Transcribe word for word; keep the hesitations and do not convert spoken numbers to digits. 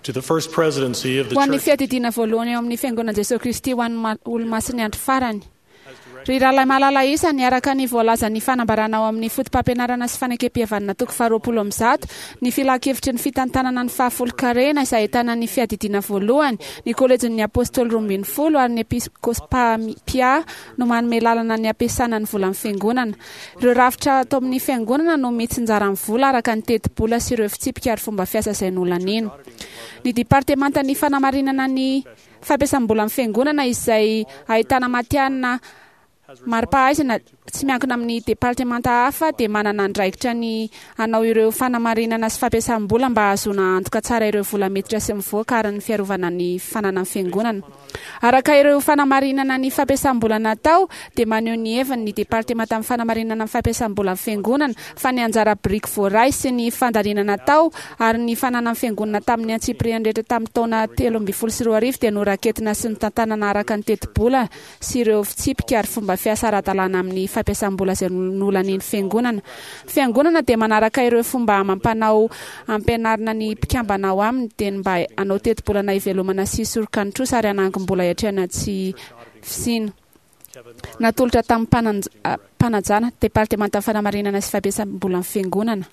To the First Presidency of the Ho an'ny Church fiadidiana voalohany eo amin'ny Fiangonan'i Jesoa Kristy ho an'ny ma- Olomasin'ny Andro Farany. Ry rahalahy malala isany, araka ny voalazan'ny fanambarana ao amin'ny Fotopampianarana sy Fanekempihavanana toko faharoapolo amby zato, ny Filankevitry ny Fitantanana ny Fahafolonkarena izay ahitana ny Fiadidiana Voalohany, ny Kolejin'ny Apôstôly Roambinifolo ary ny Episkôpà Mpiahy no manome lalana ny hampiasana ny volan'ny Fiangonana. Ireo rafitra ato amin'ny Fiangonana no mitsinjara ny vola araka ny tetibola sy ireo fitsipika ary fomba fiasa izay nolaniana. Ny Departemantan'ny Fanamarinana ny Fampiasam-bolan'ny Fiangonana izay ahitana matihanina mari-pahaizana tsy miankina amin'ny departemanta hafa dia manana andraikitra ny hanao ireo fanamarinana sy fampiasam-bola mba hahazoana antoka tsara ireo vola miditra sy mivoaka ary ny fiarovana ny fananan'ny Fiangonana. Araka ireo fanamarinana ny fampiasam-bola natao dia maneho ny heviny ny Departemantan'ny Fanamarinana ny Fampiasam-bolan'ny Fiangonana fa ny anjara biriky voaray sy ny fandaniana natao ary ny fananan'ny Fiangonana tamin'ny antsipiriany rehetra tamin'ny taona telo ambin'ny folo sy roa arivo dia noraketina sy notantanana araka ny tetibola sy ireo fitsipika ary fomba fiasa ara-dalàna amin'ny fampiasam-bola izay nolanian'ny Fiangonana. Fiangonana dia manaraka ireo fomba amam-panao ampianarina ny mpikambana ao aminy dia ny mba hanao tetibolana hivelomana sy hisoroka ny trosa ary hanangom-bola hiatrehana tsy fisiana. Natolotra tamin'ny mpananj- mpanajana, Departemantan'ny Fanamarinana sy Fampiasam-bolan'ny Fiangonana.